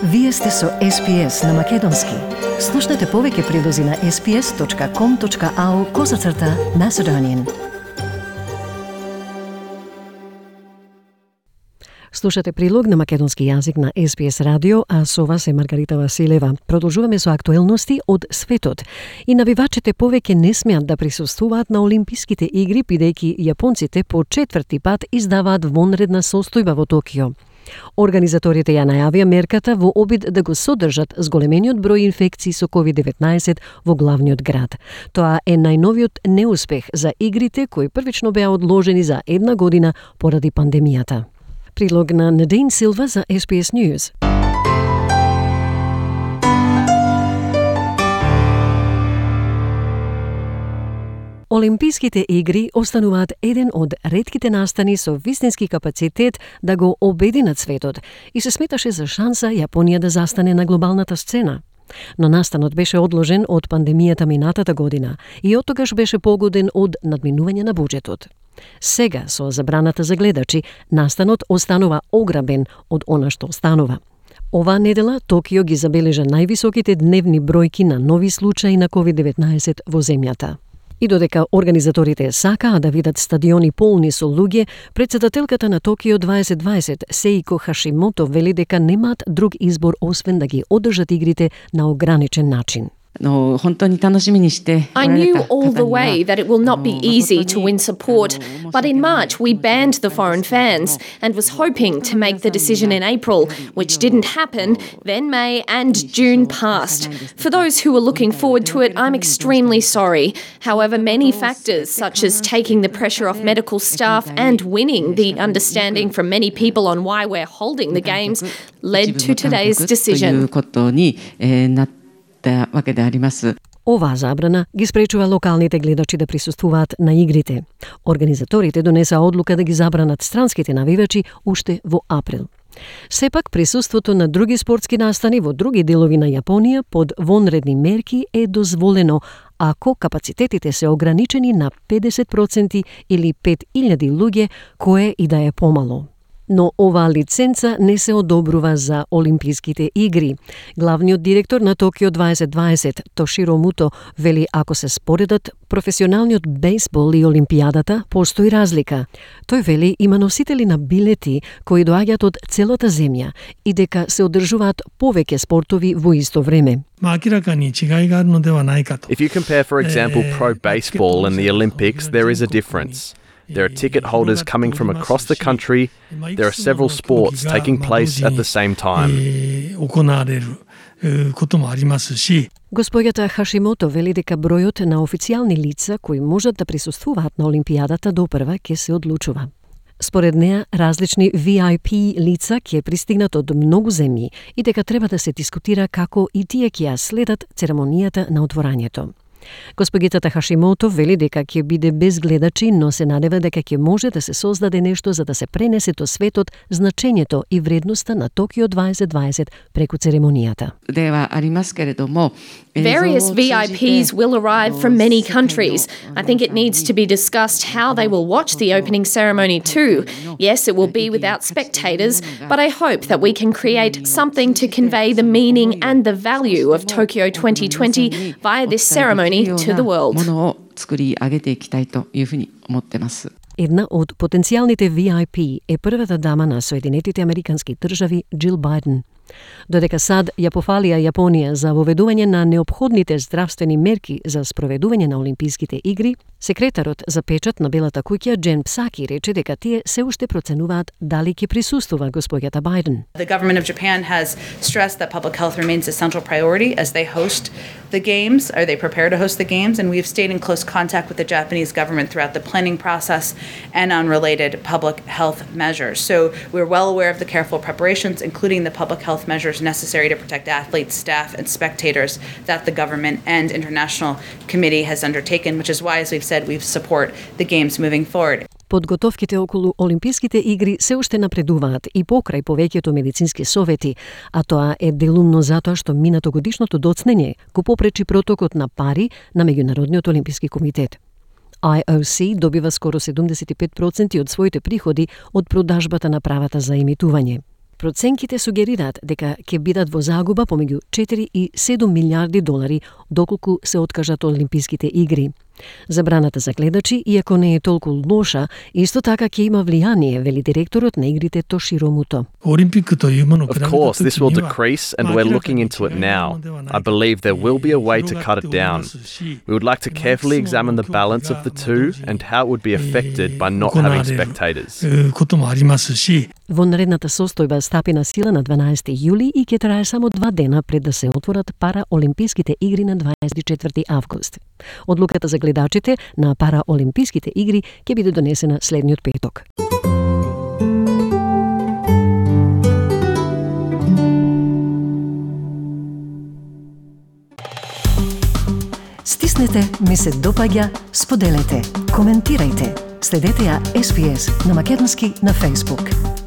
Вие сте со SPS на Македонски. Слушнете повеќе прилози на sps.com.au/Macedonian. Слушате прилог на македонски јазик на SPS радио, а со вас е Маргарита Василева. Продолжуваме со актуелности од светот. И навивачите повеќе не смеат да присуствуваат на Олимписките игри, бидејќи јапонците по четврти пат издаваат вонредна состојба во Токио. Организаторите ја најавија мерката во обид да го содржат зголемениот број инфекции со COVID-19 во главниот град. Тоа е најновиот неуспех за игрите кои првично беа одложени за една година поради пандемијата. Прилог на Надин Силва за SPS News. Олимписките игри остануваат еден од ретките настани со вистински капацитет да го обединат светот и се сметаше за шанса Јапонија да застане на глобалната сцена. Но настанот беше одложен од пандемијата минатата година и оттогаш беше погоден од надминување на буџетот. Сега, со забраната за гледачи, настанот останува ограбен од она што останува. Оваа недела Токио ги забележа највисоките дневни бројки на нови случаи на COVID-19 во земјата. И додека организаторите сакаа да видат стадиони полни со луѓе, претседателката на Токио 2020 Сеико Хашимото вели дека немаат друг избор освен да ги одржат игрите на ограничен начин. I knew all the way that it will not be easy to win support, but in March we banned the foreign fans and was hoping to make the decision in April, which didn't happen. Then May and June passed. For those who were looking forward to it, I'm extremely sorry. However, many factors, such as taking the pressure off medical staff and winning the understanding from many people on why we're holding the games, led to today's decision. Оваа забрана ги спречува локалните гледачи да присуствуваат на игрите. Организаторите донесаа одлука да ги забранат странските навивачи уште во април. Сепак, присуството на други спортски настани во други делови на Јапонија под вонредни мерки е дозволено ако капацитетите се ограничени на 50% или 5000 луѓе, кое и да е помало. Но оваа лиценца не се одобрува за Олимписките игри. Главниот директор на Токио 2020, Тоширо Муто, вели ако се споредат професионалниот бейсбол и Олимпијадата, постои разлика. Тој вели има носители на билети кои доаѓаат од целата земја и дека се одржуваат повеќе спортови во исто време. If you compare, for example, pro baseball and the Olympics, there is a difference. There are ticket holders coming from across the country. There are several sports taking place at the same time. Господјата Хашимото вели дека бројот на официјални лица кои можат да присуствуваат на Олимпијадата допрва ќе се одлучува. Според неа, различни VIP лица ќе пристигнат од многу земји и дека треба да се дискутира како и тие ќе ја следат церемонијата на отворањето. Господјата Хашимото вели дека ќе биде без гледачи, но се надева дека ќе може да се создаде нешто за да се пренесе до светот значењето и вредноста на Токио 2020 преку церемонијата. Various VIPs will arrive from many countries. I think it needs to be discussed how they will watch the opening ceremony too. Yes, it will be without spectators, but I hope that we can create something to convey the meaning and the value of Tokyo 2020 via this ceremony to the world. Една од потенцијалните VIP е првата дама на Соединетите Американски држави Џил Бајден. Додека САД ја пофалија Јапонија за воведување на неопходните здравствени мерки за спроведување на Олимписките игри, секретарот за печат на Белата куќа Джен Псаки рече дека тие се уште проценуваат дали ќе присуствува господјата Бајден. The government of Japan has stressed that public health remains a central priority as they host the games, or they prepare to host the games, and we've stayed in close contact with the Japanese government throughout the planning process and on related public health measures. So we're well aware of the careful preparations, including the public health measures necessary to protect athletes, staff, and spectators that the government and international committee has undertaken, which is why, as we've said, we support the games moving forward. Подготовките околу Олимписките игри се уште напредуваат и покрај повеќето медицински совети, а тоа е делумно затоа што минатогодишното доцнење го попречи протокот на пари на Меѓународниот олимписки комитет. IOC добива скоро 75% од своите приходи од продажбата на правата за емитување. Проценките сугерираат дека ќе бидат во загуба помеѓу 4 и 7 милиарди долари доколку се откажат Олимписките игри. Забраната за гледачи, иако не е толку лоша, исто така ќе има влијание, вели директорот на игрите Тоширо Муто. Of course, this will decrease and we're looking into it now. I believe there will be a way to cut it down. We would like to carefully examine the balance of the two and how it would be affected by not having spectators. Во наредната состојба стапи на сила на 12 јули и ќе трае само 2 дена пред да се отворат Параолимписките игри на 24 август. Одлуката за гледачите на Параолимписките игри ќе биде донесена следниот петок. Стиснете, ми се допаѓа, споделете, коментирајте. Следете ја SPS на македонски на Facebook.